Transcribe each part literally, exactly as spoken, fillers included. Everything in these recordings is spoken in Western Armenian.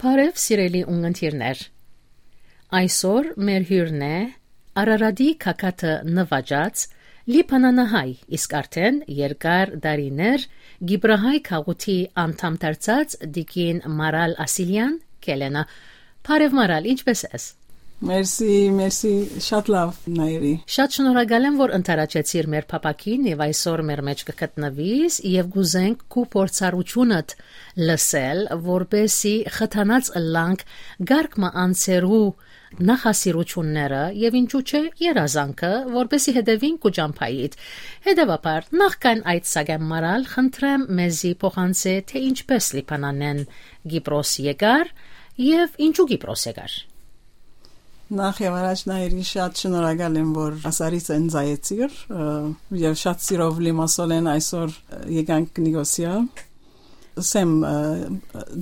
Բարեւ, սիրելի ունգընտիրներ։ Այսօր մեր հիւրն է Արարատի գագաթը նուաճած լիբանանահայ, իսկ արդեն երկար տարիներ Կիպրահայ գաղութի անդամ դարձած տիկին Մարալ Ասիլեան Քելենը։ Բարեւ, Մարալ, ինչպէս ես։ Մերսի, մերսի, շատ լաւ, Նայիրի։ Շատ շնորհակալ եմ, որ ընդառաջեցիր մեր փափաքին եւ այսօր մեր մէջ կը գտնուիս, եւ կուզենք քու փորձառութիւնդ լսել, որպեսզի խթանած ըլլանք կարգ մը անձերու նախասիրութիւնները եւ, ինչու՞ չէ, երազանքը, որպեսզի հետեւին քու ճամբայիդ։ Հետեւաբար, նախքան այդ, սակայն, Մարալ, խնդրեմ մեզի փոխանցէ, թէ ինչպէս Լիբանանէն Կիպրոս եկար եւ ինչու Կիպրոս եկար։ Նախ եւ առաջ, Նայիրի, շատ շնորհակալ եմ, որ ասարից ընծայեցիր, ը, եւ շատ սիրով լիմասոլեն այսօր, ը, եկանք Նիկոսիա։ Սեմ, ը,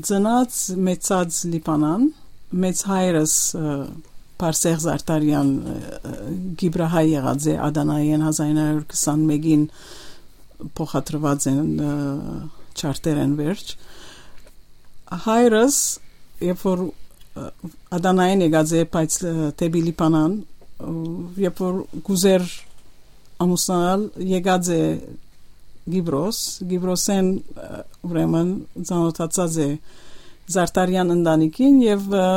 ծնած, մեծած Լիբանան, մեծ հայրս, ը, Բարսեղ Զարտարեան, ը, ը, Կիպրահայ եղած է, Ադանայէն հազար ինը հարիւր քսանմէկին փոխադրուած են, ը, չարտերէն վերջ։ Հայրս, երբ որ, ը, Ադանայէն եկած է, բայց, ը, դէպի Լիբանան, ը, երբ որ կուզեր ամուսնանալ, եկած է Կիպրոս, Կիպրոսէն, ը, ուրեմն ծանօթացած է Զարտարեան ընտանիքին եւ, ը,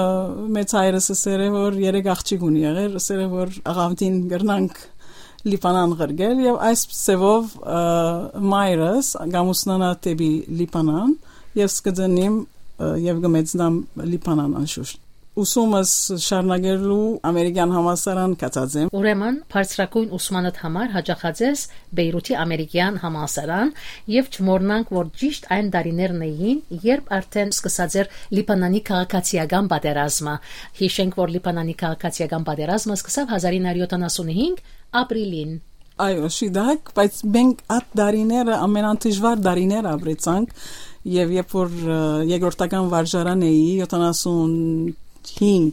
մեծ հայրս ըսեր է, որ երեք աղջիկ ունի եղեր, ըսեր է, որ աղավնին կրնանք Լիբանան ղրկել, եւ այս ձեւով, ը, մայրս կ'ամուսնանայ դէպի Լիբանան, ես կը ծնիմ, ը, եւ կը մեծնամ Լիբանան անշուշտ։ Ուսումս շարունակելու Ամերիկյան համալսարան գացած եմ։ Ուրեմն, բարձրագոյն ուսմանդ համար յաճախած ես Պեյրութի Ամերիկյան համալսարան, եւ չմոռնանք, որ ճիշտ այն տարիներն էին, երբ արդեն սկսած էր Լիբանանի քաղաքացիական պատերազմը։ Յիշենք, որ Լիբանանի քաղաքացիական պատերազմը սկսաւ հազար ինը հարիւր յոթանասունհինգ ապրիլին։ Այո, շիդակ, բայց մենք այդ տարիները ամենադժուար տարիներ ապրեցանք, եւ երբ որ, ը, երկրորդական վարժարան էի, յոթանասունհինգ,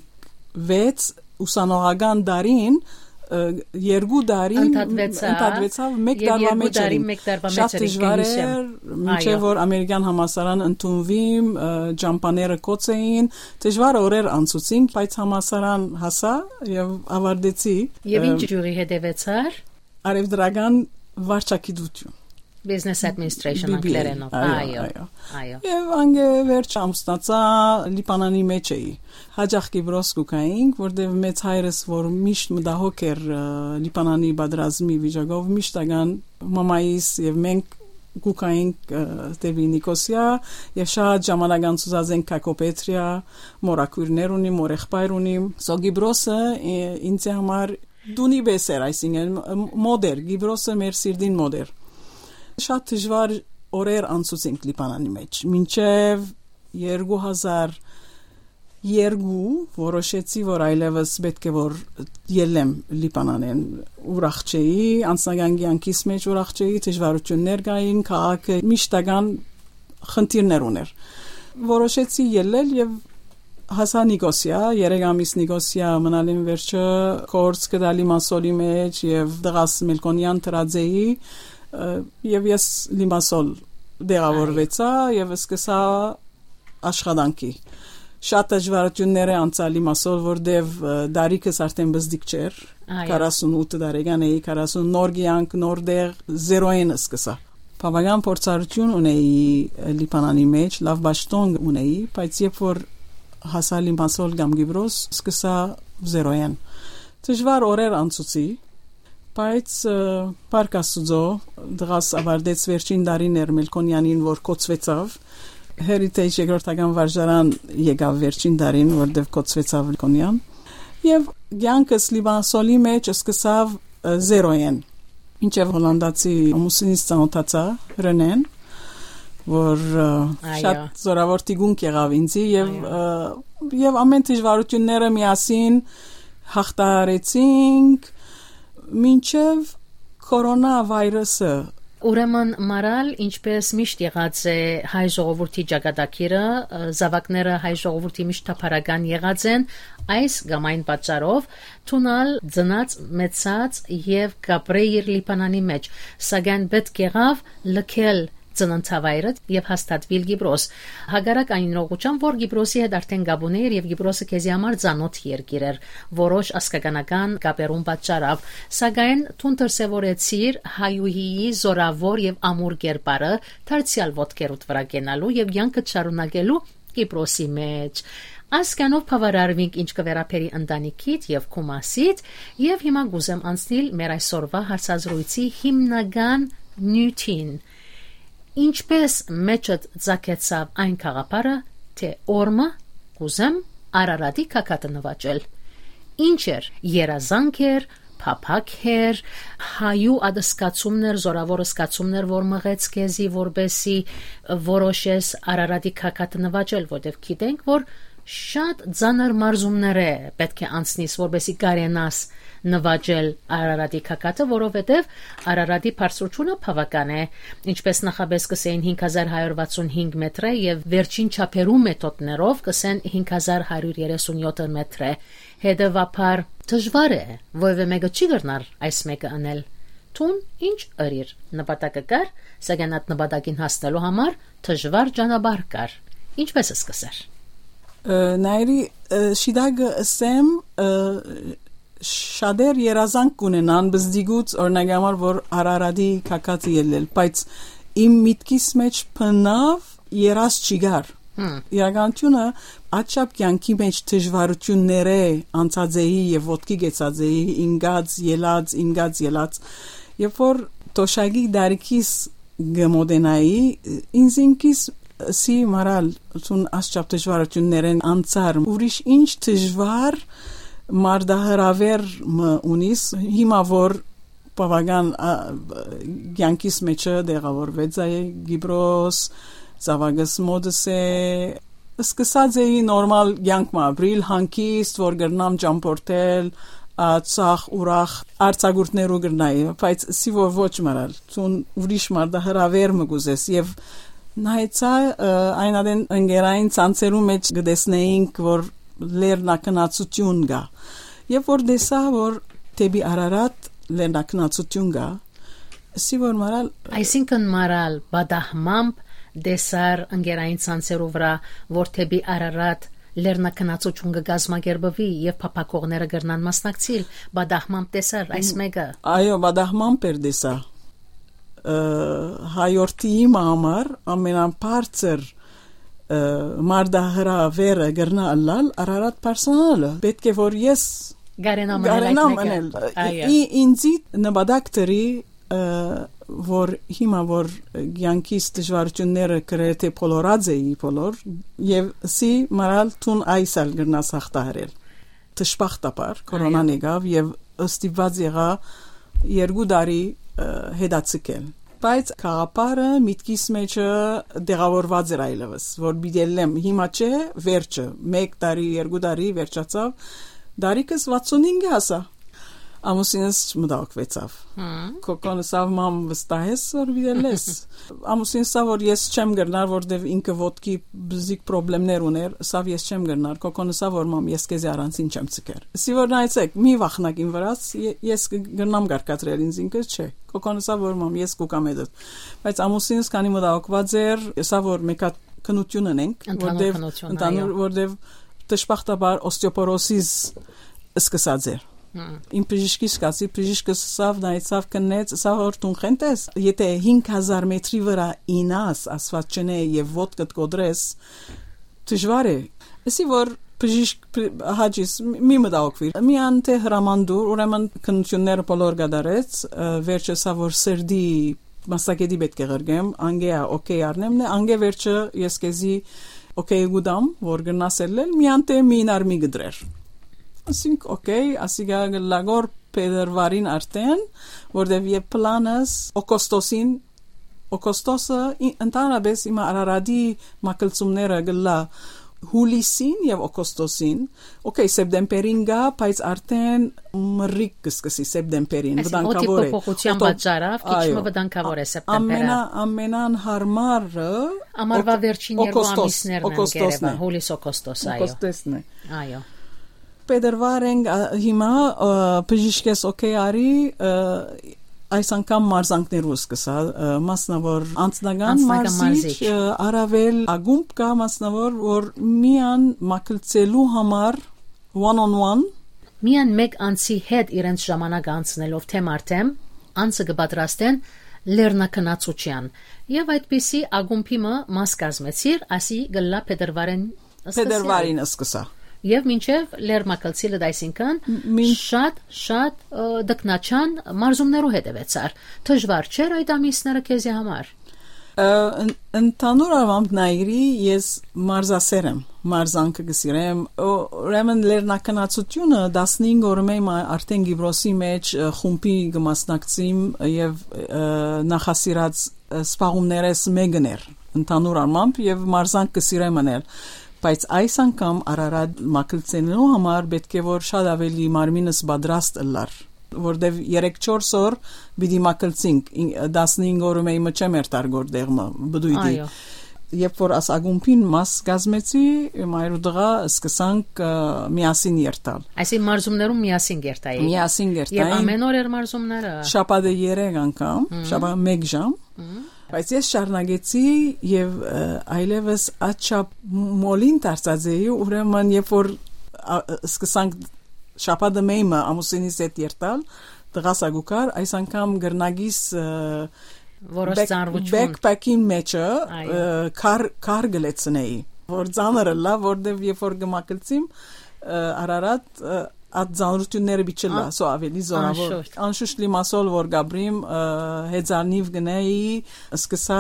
վեց, ուսանողական տարին, ը, երկու տարին Ընդհատվեցաւ, ընդհատվեցաւ, մեկ եւ տարվա երկու մեջ տարին էինք։ Մեկ տարվա մեջ Շատ էինք, դժուար կհիշեմ։ Էր, մինչեւ Այո։ Որ Ամերիկյան համալսարան ընդունվիմ, ը, ճամբաները կոց էին, դժուար օրեր անցուցինք, բայց համալսարան հասա եւ ավարտեցի, Եւ ը, ինչ ճյուղի հետեւեցար։ Արեւտրական վարչագիտություն։ Business Administration B B A, անգլերենով։ այո, Այո, այո։ Այո։ Եւ անգե վերջ ամուսնացա, Լիբանանի մեջ էի։ Յաճախ Կիպրոս կու գայինք, որտեւ մեծ հայրս, որ միշտ մտահոգ էր, ը, Լիբանանի պատերազմի վիճակով, միշտ ական մամայիս եւ մենք կու գայինք, ը, դեպի Նիկոսիա, եւ շատ ժամանակ անցուցած ենք Քակոպետրիա, մորաքույրներ ունի, մոր եղբայր ունի։ So Կիպրոսը, ը, ինձ համար դունի պէս էր, այսինքն, մ-, մոտ էր, Կիպրոսը մեր սիրտին մոտ էր։ Շատ դժուար օրեր անցուցինք Լիբանանի մեջ, մինչեւ երկու հազար երկու որոշեցի, որ այլեւս պէտք է որ ելլեմ Լիբանանէն, ուրախ չէի, անձնական կեանքիս մեջ ուրախ չէի, դժվարություններ կային, քաղաքը միշտական խնդիրներ ուներ։ Որոշեցի ելլել եւ հասա Նիկոսիա, երեք ամիս Նիկոսիա մնալին վերջը, կորց կտալի Մասոլի մեջ եւ դղաս Մելքոնյան դրած էի, ը, եւ ես Լիմասոլ տեղավորվեցա Այո։ Եւ սկսա աշխատանքի։ Շատ դժվարություններ է անցա Լիմասոլ, որտեւ, ը, դարիքս արդեն բզդիկ չէր, Այո։ Քառասունութ տարեկան էի, քառասուն նոր կեանք, նոր տեղ, զերոյեն սկսա։ Բավական փորձառություն ունեի Լիբանանի մեջ, լաւ պաշտոն ունեի, բայց երբ որ հասա Լիմասոլ կամ Կիպրոս, սկսա զերոյեն։ Դժվար օրեր անցուցի, բայց, ը, փառք Աստուծո, դղաս ավարտեց վերջին տարին էր Մելքոնյանին, որ կոչուեցաւ։ Heritage երկրորդական վարժարան եկաւ վերջին տարին, որտեղ կոչուեցաւ Մելքոնյան։ Եւ կեանքս Լիմասոլի մեջ սկսավ, ը, զերոյեն, մինչեւ հոլանդացի ամուսինս ծանոթացա, Ռենեն, որ, ը, Այո։ Շատ զորավոր թիկունք եղավ ինձի եւ, Այո։ Ը, եւ ամեն դժվարությունները միասին հաղթահարեցինք, մինչեւ կորոնա վայրուսը։ Ուրեմն, Մարալ, ինչպես միշտ եղած է հայ ժողովրդի ճակատագիրը, ը, զաւակները հայ ժողովրդի միշտ թափառական եղած են, այս կամ այն պատճառով դուն ալ ծնած, մեծած եւ կապրեիր Լիբանանի մեջ, սակայն պէտք եղաւ լքել ծննդավայրդ եւ հաստատուիլ Կիպրոս։ Հակառակ այն իրողութեան, որ Կիպրոսի հետ արդէն կապ ունէիր եւ Կիպրոսը քեզի համար ծանօթ երկիր էր, որոշ ազգականական կապերուն պատճառով, սակայն դուն դրսեւորեցիր հայուհիի զօրաւոր եւ ամուր կերպարը դարձեալ ոտքերուդ վրայ կենալու եւ կեանքդ շարունակելու Կիպրոսի մէջ։ Այսքանով բաւարարուինք ինչ կը վերաբերի ընտանիքիդ եւ քու մասիդ, եւ հիմա կուզեմ անցնիլ մեր այսօրվա հարցազրոյցի հիմնական նիւթին։ Ինչպէս մէջդ ծագեցաւ այն գաղափարը, թէ օրմը կուզեմ Արարատի գագաթը նուաճել։ Ինչ էր, երազանք էր, փափաք էր, հայու ատսկացումներ, զօրաւոր զգացումներ, որ մղեց քեզի, որպէսի որոշես Արարատի գագաթը նուաճել, որտեւ գիտենք, որ շատ ծանր մարզումներ է պէտք է անցնես, որպէսի կարենաս նուաճել Արարատի գագաթը, որովհետեւ Արարատի բարձրութիւնը բաւական է, ինչպէս նախապէս կ'ըսէին հինգ հազար հարիւր վաթսուն հինգ մետր է եւ վերջին չափերու մեթոդներով կ'ըսեն հինգ հազար հարիւր երեսուն յոթ մետր է։ Հետեւաբար դժուար է, որեւէ մէկը չի կրնար այս մէկը ընել։ Դուն ինչ ըրիր, նպատակը կար, սակայն այդ նպատակին հասնելու համար դժուար ճանապարհ կար։ Ինչպէս սկսար։ Ը, Նայրի, ը, շիտակը ըսեմ, ը, շատեր երազանք կունենան բզդիգուց, օրինակ համար, որ Արարատի գագաթը ելլել, բայց իմ միտքիս մէջ բնաւ երազ չի գար։ Հմ։ Իրականությունը, աչափ կեանքի մէջ դժվարություններէ անցած էի եւ ոտքի գեցած էի, ինգած, ելած, ինգած, ելած, երբ որ տոշակի դարիքիս կը մոտենայի, ինձ ինքիս սի մարալ, ցուն աչափ դժվարություններեն անցար, ուրիշ ինչ դժվար մարտահրավեր մը ունիս, հիմա որ բաւական, ա, կեանքիս մեջը դեղաւորուեցայ Կիպրոս, զաւակս մօտս է, սկսած էի նորմալ կեանք մը ապրիլ, հանգիստ, որ կրնամ ճամփորդել, ա, ցախ, ուրախ, արձակուրդներու կրնայի, բայց սի որ ոչ մռալ, ցուն ուրիշ մարտահրավեր մը կուզես, եւ նայեցայ, ը, այն ատեն ընկերային ցանցերու մէջ կը տեսնեինք, որ լեռնակնացություն կա, եւ որ տեսայ, որ դէպի Արարատ լեռնակնացություն կա, սի որ մռալ Այսինքն՝ մռալ պատահմամբ տեսար ընկերային ցանցերու վրայ, որ դէպի Արարատ լեռնակնացություն կը կազմակերպուի եւ փափաքողները կրնան մասնակցիլ, պատահմամբ տեսար այս Մ, մէկը։ Այո, պատահմամբ էր տեսա։ Ը, հայորդիի մը համար ամենաբարձր, ը, մարտահրավերը կրնա ըլլալ Արարատ բարձրանալը։ Պէտք է որ ես Կարենամ ընել այդ կարենամ մէկը։ Ընել։ Այո։ Ի, ինձի նպատակ դրի, ը, որ հիմա որ կեանքիս դժվարությունները գրեթե բոլորած էի բոլոր, եւ սի մռալ դուն այս ալ կրնաս հաղթահարել։ Դժբախտաբար, կորոնան Այո։ Եկաւ եւ ստիպված եղայ երկու տարի, ը, հետաձգել։ Բայց գաղափարը միտքիս մեջը դեղաւորված էր այլեւս, որ պիտի ելլեմ, հիմա չէ, վերջը, մեկ տարի, երկու տարի վերջացաւ, դարիքս վաթսուն հինգ հասա։ Ամուսինս չմտահոգուեցաւ։ Հմ։ Կոկոն ըսաւ՝ «Մամ, վստահ ես, որ պիտի ելլես»։ Ամուսինս ըսաւ, որ ես չեմ կրնար, որտեւ ինքը ոտքի բզիկ պրոբլեմներ ուներ, ըսաւ՝ «Ես չեմ կրնար»։ Կոկոն ըսաւ, որ «Մամ, ես քեզի առանցին չեմ ցկեր»։ Սի որ նայեցեք, մի վախնակ իմ վրաս, ե-, ես կը-, կրնամ կարգադրել ինձ ինքս, չէ։ Կոկոն ըսաւ, որ «Մամ, ես կուկամ հետդ»։ Բայց ամուսինս քանի մտահոգուած էր, ըսաւ, որ մեկ հատ քննություն ունենք, Ընդհանուր որտեւ, քննություն, ընդհանուր, այո։ Որտեւ դժբախտաբար օստեոպորոսիզ սկսած էր։ Հմ։ Իմ բժիշկիս կացի, բժիշկը սավ նայեցավ, քննեց, սա որ դուն խենթ ես, եթե հինգ հազար մետրի վրա ինաս, ասված չնե, եւ ոտքդ կոտրես, դժվար է։ Էսի որ բժիշկ, բժ-, հաճիս, մի մտահոգվիր, մի անտե հրաման դուր, ուրեմն քննությունները բոլոր կատարեց, ը, վերջը սա որ սրդի մասնակետի պետք է ղրկեմ, անգեա օքեյ առնեմ, նե, անգե վերջը ես քեզի օքեյ գուտամ, որ գնաս ելլել, մի անտե մի նար մի գդրեր։ Ասինք, օքեյ, ասիգա գլագոր փետրվարին արդեն, որտեվ եւ պլանս օգոստոսին, օգոստոսը ի-, ընդհանրապես հիմա Արարատի մակլցումները գլա հուլիսին եւ օգոստոսին, օքեյ, սեպտեմբերին գա, բայց արդեն մռիկ կսկսի սեպտեմբերին, Այսինքն, օդի վտանգավոր է։ փոփոխության Օտո-, պատճառով քիչ այո, մը վտանգավոր է ա-, սեպտեմբերը։ ամենա-, ամենանհարմարը Ամառվա օգ-, վերջին երկու օգոստոս, ամիսներն են օգոստոս, գերեվա, հուլիս օգոստոս, այո։ օգոստոսն է։ Այո։ Փետրվար ենք, ա, հիմա, ը, բժիշկես օքեյ արի, ը, այս անգամ մարզանքներու սկսա, ը, մասնաւոր անձնական Անձնական մարզիչ, մարզիչ։ ը, առավել ակումբ կայ մասնաւոր, որ միան մակլցելու համար one on one։ Միան մէկ անձի հետ իրենց ժամանակ անցնելով թեմ առ թեմ, անձը կը պատրաստեն լեռնակնացության։ Եւ այդպիսի ակումբի մը մաս կազմեցիր, ասի գլլա փետրվարին սկսել։ Փետրվարին սկսա։ Եվ մինչև լեռնակալցիլը, այսինքն, մին- շատ, շատ, ը, դկնաչան մարզումներու հետևեցար։ Դժվար չէր այդ ամիսները քեզի համար։ Ը, ըն-, ընդհանուր առմամբ նայիրի, ես մարզասեր եմ, մարզանքը կը սիրեմ, ո-, ուրեմն լեռնակնացությունը տասնհինգ օրը մը մա-, արդեն Կիպրոսի մեջ, ը, խումբի կը մասնակցիմ եւ, ը, նախասիրած, ը, սպաղումներես մեկն էր, ընդհանուր առմամբ, եւ մարզանք կը սիրեմ անել, բայց այս անգամ Արարատ մակլցելու համար պէտք է որ շատ ավելի մարմինս պատրաստ ըլլար, որտեւ երեք չորս օր պիտի մակլցինք, ին-, տասնհինգ օրը մը մը չեմ երթար գոր դեղմը, բդույդի։ Այո։ Երբ որ աս ակումբին մաս կազմեցի, մայր ու տղա սկսանք, ը, միասին երթալ։ Այսինքն մարզումներում միասին երթայի։ Միասին Եվ երթային։ Ամեն օր էր մարզումները։ Շաբաթը երեք անգամ, Մհմ։ շաբաթը մեկ ժամ։ Մհմ։ Բայց ես շարունակեցի եւ, ը, այլեւս աչափ մոլին դարձած էի, ուրեմն երբ որ, ա, սկսանք շաբաթը մը մը ամուսինիս հետ երթալ, տղաս ակուքար, այս անգամ գրնագիս, ը, Որոշ back-, ծանրություն։ Backpack-ին մեջը, Այո։ ը, քար, քար գլեցնեի, որ ծանր ըլլա, որտեւ երբ որ գմակլցիմ, ը, Արարատ, ը, այդ ծանրությունները պիտի չլա, Ան-, սո ավելի զորավոր։ անշուշտ։ Անշուշտ լիմասոլ որ գաբրիմ, ը, հեծանիվ գնայի, սկսա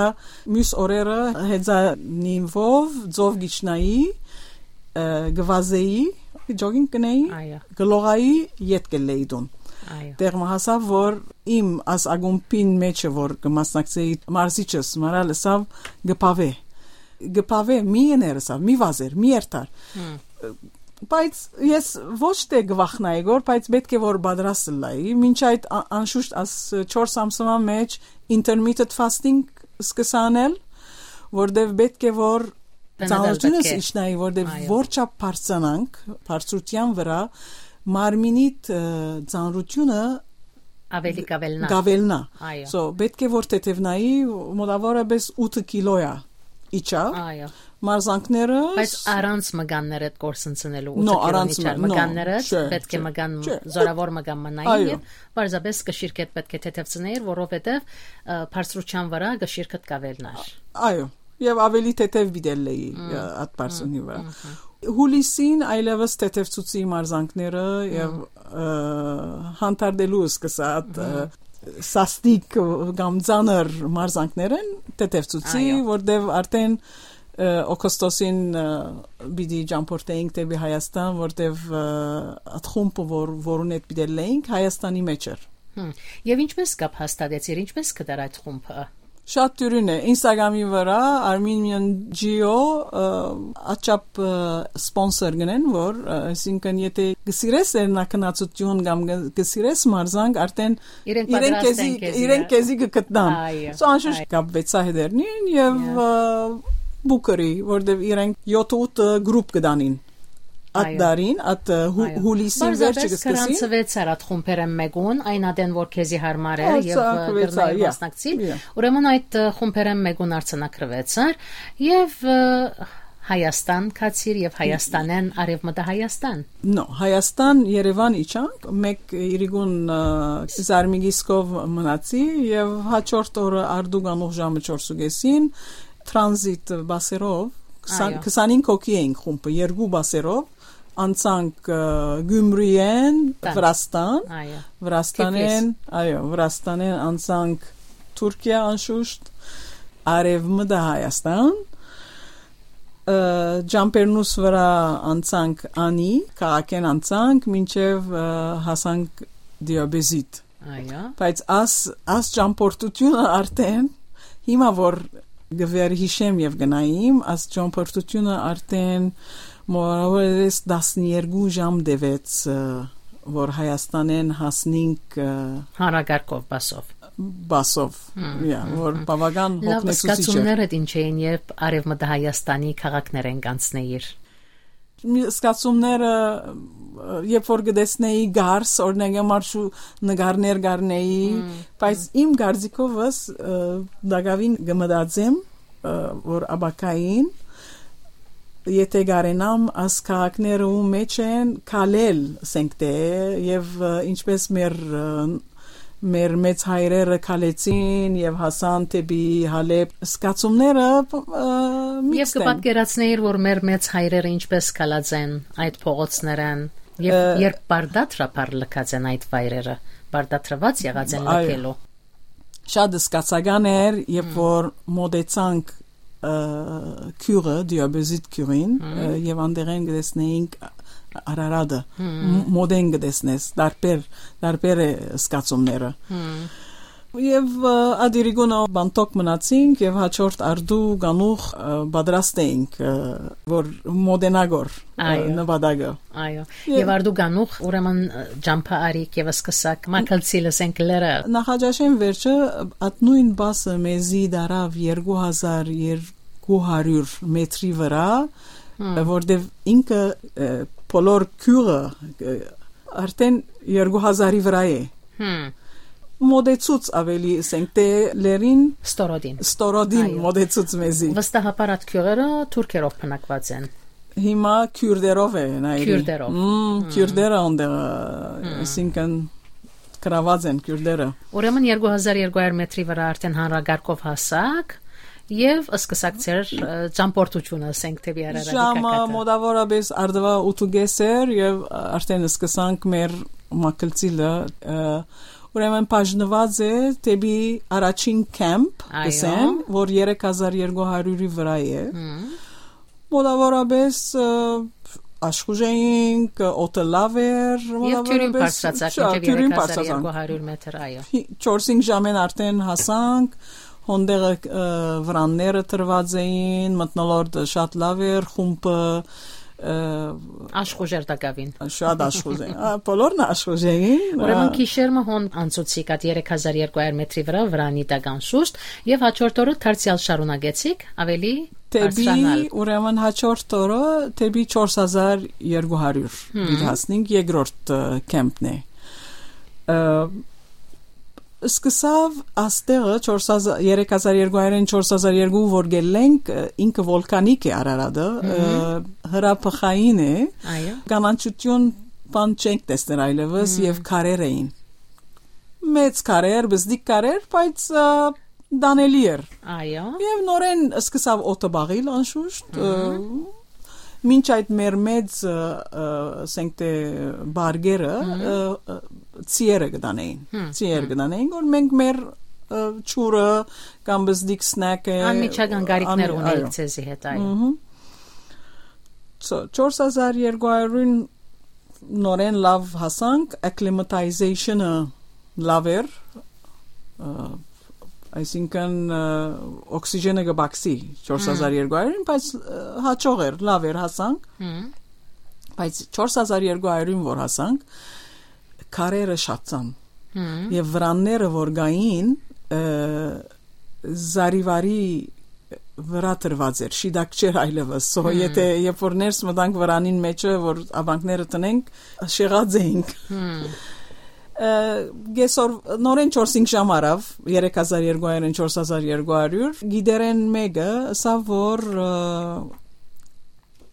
մյուս օրերը հեծանիվով ձով գիչնայի, ը, գվազեի, jogging գնայի, Այո։ գլողայի, յետ գլեի դուն։ Այո։ Տեղ մը հասա, որ իմ աս ակումբին մեջը, որ կմասնակցեի մարզիչս, մարալ ըսավ, գպավե։ Գպավե, մի եներ ըսավ, մի վազեր, մի երթար։ Հմ։ Բայց ես ոչ թե գվախնայի գոր, բայց պէտք է որ պատրաստ լայի, մինչ այդ ա-, անշուշտ աս չորս ամսվա մեջ intermittent fasting սկսա անել, որտեւ պէտք է որ Բնական ծանրությունս պէտք է։ իջնայի, որտեւ Այո։ Որ չափ բարձրանանք, բարձրության վրա, մարմինիդ, ը, ծանրությունը Ավելի կավելնա։ կավելնա։ Այո։ So, պէտք է որ թեթևնայի, մոտավորապես ութ կիլոյա իջա։ Այո։ Մարզանքները Բայց առանց մկաններ այդ կորսնցնելու, No, ութ կիլոն առանց իջար մ-, no, մկանները չէ, պէտք է չէ, մկան, չէ, զորավոր մկան մնային Այո։ Եւ պարզապես կշիրքետ պէտք է թեթևցնեիր, որովհետեւ, ը, բարձրության վրա կշիրքդ կավելնար։ Այո, եւ ավելի թեթեւ պիտի լեի, Մմ, ը, այդ պարսունի մմ, վրա։ մմ, մմ։ Հուլիսին այլևս թեթևցուցի մարզանքները Մմ։ Եւ, ը, հանդարտելու սկսա այդ, ը, Մմ։ Սաստիկ կամ ծանր մարզանքներն թեթևցուցի, Այո։ Որտեւ արդեն, ը, օգոստոսին, ը, պիտի ճամփորդեինք դեպի Հայաստան, որտեւ, ը, այդ խումբը, որ, որուն հետ պիտի լեինք, Հայաստանի մեջ էր։ Հմ։ Եվ ինչպես կապ հաստատեցիր, ինչպես կդար այդ խումբը։ Շատ դյուրին է։ Instagram-ի վրա Armenian Geo, ը, աչափ, ը, sponsor գնեն, որ, ը, այսինքն, եթե գսիրես լեռնակնացություն կամ գ-, գսիրես մարզանք, արդեն Իրենք իրենք պատրաստ քեզի, են քեզի իրենք գ- քեզի կգտնան։ Այո, So, անշուշտ այո։ կապվեցա հետերնին եւ, Այո։ ը, Booker-ի, որտեւ իրենք յոթ ութ group կդանին։ Այդ Այո։ Դարին, այդ, ը, հու-, Այո։ Հուլիսին Պարզապես վերջը կսկսին։ Գրանցվեց արդ խումբերեն մեկուն, այն ադեն որ քեզի հարմար է Ա, եւ, ը, սա կվեցա, կրնայի yeah. Մասնակցի։ Yeah. Ուրեմն այդ, ը, խումբերեն մեկուն արձանագրվեցար եւ, ը, Հայաստան գացիր եւ Հայաստանեն արեւմտա Հայաստան։ No, Հայաստան, Երևան իջանք, մեկ իրիկուն, ը, Զարմիկիսկով մնացի եւ հաջորդ օրը արդուկ անուղ ժամը չորս ու կեսին transit բասերով, քսան, Այո։ քսանհինգ հոգի էինք խումբը, երկու բասերով, անցանք, ը, Գյումրիեն, Տան։ Վրաստան, Այո։ Վրաստանեն, Թիֆլիս։ Այո, Վրաստանեն անցանք Թուրքիա անշուշտ, արևմտա Հայաստան, ը, Ջամպերնուս վրա անցանք Անի, քաղաքեն անցանք, մինչև, ը, հասանք Դիաբեզիտ։ Այո։ Բայց աս, աս ճամփորդությունը արդեն, հիմա որ գվերհիշեմ եւ գնայիմ, աս ճամփորդությունը արդեն մորավորես տասներկու ժամ տևեց, ը, որ Հայաստանեն հասնինք, ը, Հանրակարգով, բասով։ Բասով, Հմ, yeah, հմ, որ հմ։ բավական Լավ, հոգնեցուցիչ էր։ Զգացումներդ ինչ էին, երբ Արևմտահայաստանի քաղաքներեն կանցնեիր։ Մի զգացումները, ը, երբ որ կտեսնեի գարս, օրինակ, համար շու նկարներ կառնեի, Մմ, բայց իմ կարծիքովս, ը, տակաւին կմտածեմ, ը, որ աբակային, եթե կարենամ, աս քաղաքները ու մեջ են քալել, ասենք, թե, եւ, ը, ինչպես մեր, ը, մեր մեծ հայրերը քալեցին եւ հասան դեպի Հալեբ, զգացումները, ը, Եվ միքստ են։ Կը պատկերացնեիր, որ մեր մեծ հայրերը ինչպես քալած են այդ փողոցներէն, եւ Ը, երբ բարդատրաբար լքած են այդ վայրերը, բարդատրված եղած են Այո։ Լքելու։ Շատ զգացական էր, երբ Մմ։ որ մոտեցանք, ը, գիւղը, Դիաբեզիտ գիւղին, Մմ։ ը, եւ անդեղեն կտեսնեինք Արարատը, Մմ։ մ-, մոտեն կտեսնես, տարբեր, տարբեր է զգացումները։ Մմ։ Եւ, ը, Ադիրիգունը բանտոկ մնացինք եւ հաջորդ արդու գանուխ, ը, պատրաստ էինք, ը, որ մոտենա գոր, ը, Այո։ նպատակը։ Այո։ Ե- Եւ արդու գանուխ, ուրեմն, ը, ճամփա արիք եւ սկսակ, մակլցի լսենք լերը։ Նախաճաշեն վերջը, ատ նոյն բասը մեզի դարաւ երկու հազար երկու հարիւր մետրի վրայ, Հմ։ որտեւ ինքը, ը, բոլոր գիւղը, ը, արդեն երկու հազարի վրայ է։ Հմ։ Մոտեցուց ավելի, ասենք, թե լերին Ստորոդին։ Ստորոդին Այո։ մոտեցուց մեզի։ Վստահաբար այդ գիւղերը թուրքերով բնակված են։ Հիմա քյուրտերով է, նայելի։ Քյուրտերով։ Մմ, Մմ։ քյուրտերը անդեղ, Մմ։ այսինքն, գրաված են քյուրտերը։ Ուրեմն երկու հազար երկու հարյուր մետրի վրայ արդեն հանրակարգով հասակ եւ սկսակ ձեր, ը, ճամփորդութիւնը, ասենք, դեպի Արարատի Ժամը կակատը։ մոտավորապես արդուայ ութ ու կես էր եւ արդեն սկսանք մեր մակլցիլը, ը, ուրեմն բաժնված է դեպի առաջին քեմփ, Այո։ կսեմ, որ երեք հազար երկու հարիւրի վրայ է։ Մմ։ Մոտավորապես, ը, աշխուժ էինք, օդը լաւ էր, Եւ թիւրին մոտավորապես, բարձրացանք շա-, մինչեւ թիւրին երեք հազար երկու հարիւր մեթր, այո։ Հի-, չորս-հինգ ժամեն արդեն հասանք, հոնդեղը, ը, վրանները տրված էին, մթնոլորտը շատ լաւ էր, խումբը, ը, Աշխուժ էր տակաւին։ շատ աշխուժ էին։ Ա, բոլորն աշխուժ էին, Ուրեմն ա, գիշեր մը հոն անցուցիկ այդ երեք հազար երկու հարիւր մեթրի վրայ վրանի տակ անշուշտ, եւ հաջորդ օրը դարձեալ շարունակեցիք, ավելի Դեպի, բարձրանալ։ Ուրեմն հաջորդ օրը դեպի չորս հազար երկու հարիւր Հմ։ պիտի հասնենք, երկրորդ, ը, քեմփն է։ Ը, սկսավ աստեղը չորս հազար, երեք հազար երկու հարիւրէն չորս հազար երկու որ գելենք, ը, ինքը վոլկանիկ է Արարատը, ը, Մհմ։ հրաբխային է, Այո։ կանաչութիւն բան չենք տեսներ այլեւս Մմ։ եւ քարեր էին։ Մեծ քարեր, բզդիկ քարեր, բայց, ը, տանելի էր։ Այո։ Եվ նորեն սկսավ օդը բաղիլ անշուշտ, ը, Մհմ։ մինչ այդ մեր մեծ, ը, ը, ասենք թե բարգերը, Մհմ։ ը, ը, ծիերը կտանեին։ Հմ, Ծիեր հմ։ կտանեին, որ մենք մեր, ը, չուրը կամ բզդիկ սնեքը, Անմիջական գարիքներ անմի-, ունեիք այո։ Ձեզի հետ, այո։ Մհմ։ So, չորս հազար երկու հարիւրին նորեն լաւ հասանք, acclimatization-ը լաւ էր, ը, այսինքն, ը, օքսիժենը կբացի չորս հազար երկու հարիւրին, բայց, ը, հաճող էր, լաւ էր, հասանք, Հմ։ բայց չորս հազար երկու հարիւրին որ հասանք, քարերը շատցան։ Հմ։ Եվ վրանները որ գային, ը, զարիվարի վրա տրված էր, շիտակ չէր այլևս։ So, Հմ։ եթե երբ որ ներս մտանք վրանին մեջը, որ աբանքները տնենք, շեղած էինք։ Հմ։ Ը, կեսօր, նորեն չորս-հինգ ժամ առավ, երեք հազար երկու հարիւրէն չորս հազար երկու հարիւր, գիդերեն մեկը, ասա որ, ը,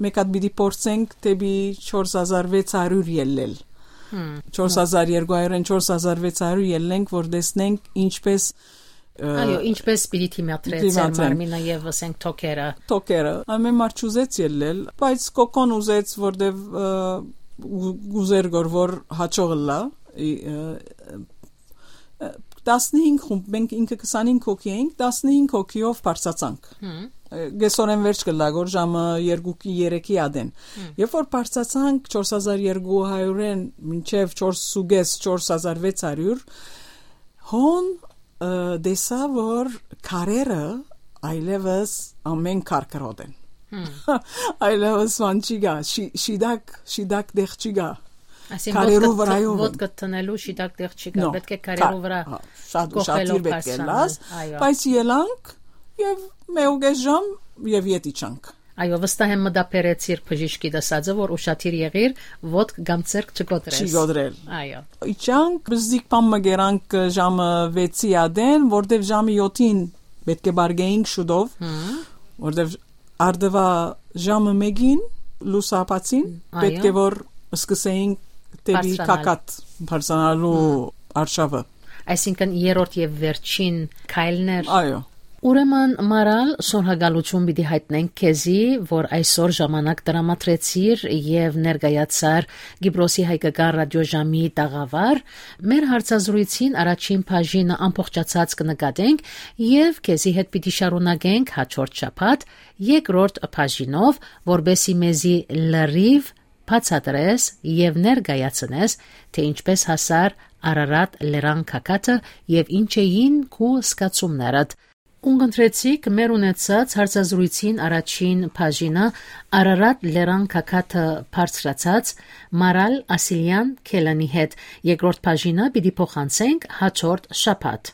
մեկ հատ պիտի փորձենք դեպի չորս հազար վեց հարիւր ելլել։ Հմ։ չորս հազար երկու հարիւրէն չորս հազար վեց հարիւր ելնենք, որ տեսնենք ինչպես, ը, Այո, ինչպես պիտի դիմադրե դիմադրեն։ Ձեր մարմինը եւ, ասենք, թոքերը, Թոքերը։ Ամեն մարդ չուզեց ելլել, բայց Կոկոն ուզեց, որտեվ, ը, ու-, ուզեր գոր, որ հաճող ըլլա, ի, ը, ը, տասնհինգ խումբ, մենք ինքը քսանհինգ հոգի էինք, տասնհինգ հոգիով բարձացանք։ Հմ։ Ը, կեսօրեն վերջ կլա գոր ժամը երկուքի, երեքի ադեն։ Հմ։ Երբ որ բարձացանք չորս հազար երկու հարիւրէն մինչեւ չորս ու կես, չորս հազար վեց հարիւր, հոն, ը, տեսա, որ քարերը այլևս ամեն քար կրոտ են։ Հմ։ Այլևս ման չի գա, շի-, շիտակ, շիտակ դեղ չի գա։ Այսինքն, Քարերու ոտքդ տ-, վրայով են։ Ոտքդ տնելու շիտակ դեղ չի գա, No, պետք է քարերու քա-, վրա հա, շատ կոխելով ուշադիր պետք է բարձրանալ, լաս, այո։ բայց ելանք եւ մեկուկես ժամ եւ ետ իջանք։ Այո, վստահ եմ մտաբերեցիր բժիշկի դասածը, որ ուշադիր եղիր, ոտք կամ ձեռք չկոտրես։ Չի կոտրել։ Այո։ Իջանք, բզդիկ բան մը գերանք ժամը վեցի ադեն, որտեվ ժամը յոթին պետք է բարգեինք շուտով, որտեվ արդվա ժամը մեկին լուսաբացին, այո, պետք է որ սկսեինք դեպի Բարձրանալ։ Կակատ բարձրանալու արշավը։ Այսինքն երրորդ եւ վերջին քայլներ։ Այո։ Ուրեմն, Մարալ, շնորհակալություն պիտի հայտնենք քեզի, որ այսօր ժամանակ տրամադրեցիր եւ ներկայացար Կիպրոսի հայկական ռադիոժամի տաղավար։ Մեր հարցազրույցին առաջին բաժինը ամբողջացած կը նկատենք եւ քեզի հետ պիտի շարունակենք հաջորդ շաբաթ երկրորդ բաժինով, որպեսզի մեզի լրիվ բացատրես եւ ներկայացնես, թե ինչպես հասար Արարատ լերան գագաթը եւ ինչ էին քու զգացումներդ։ Ունկնդրեցիք մեր ունեցած հարցազրույցին առաջին բաժինը Արարատ լերան գագաթը բարձրացած Մարալ Ասիլյան Քելանի հետ։ Երկրորդ բաժինը պիտի փոխանցենք հաջորդ շաբաթ։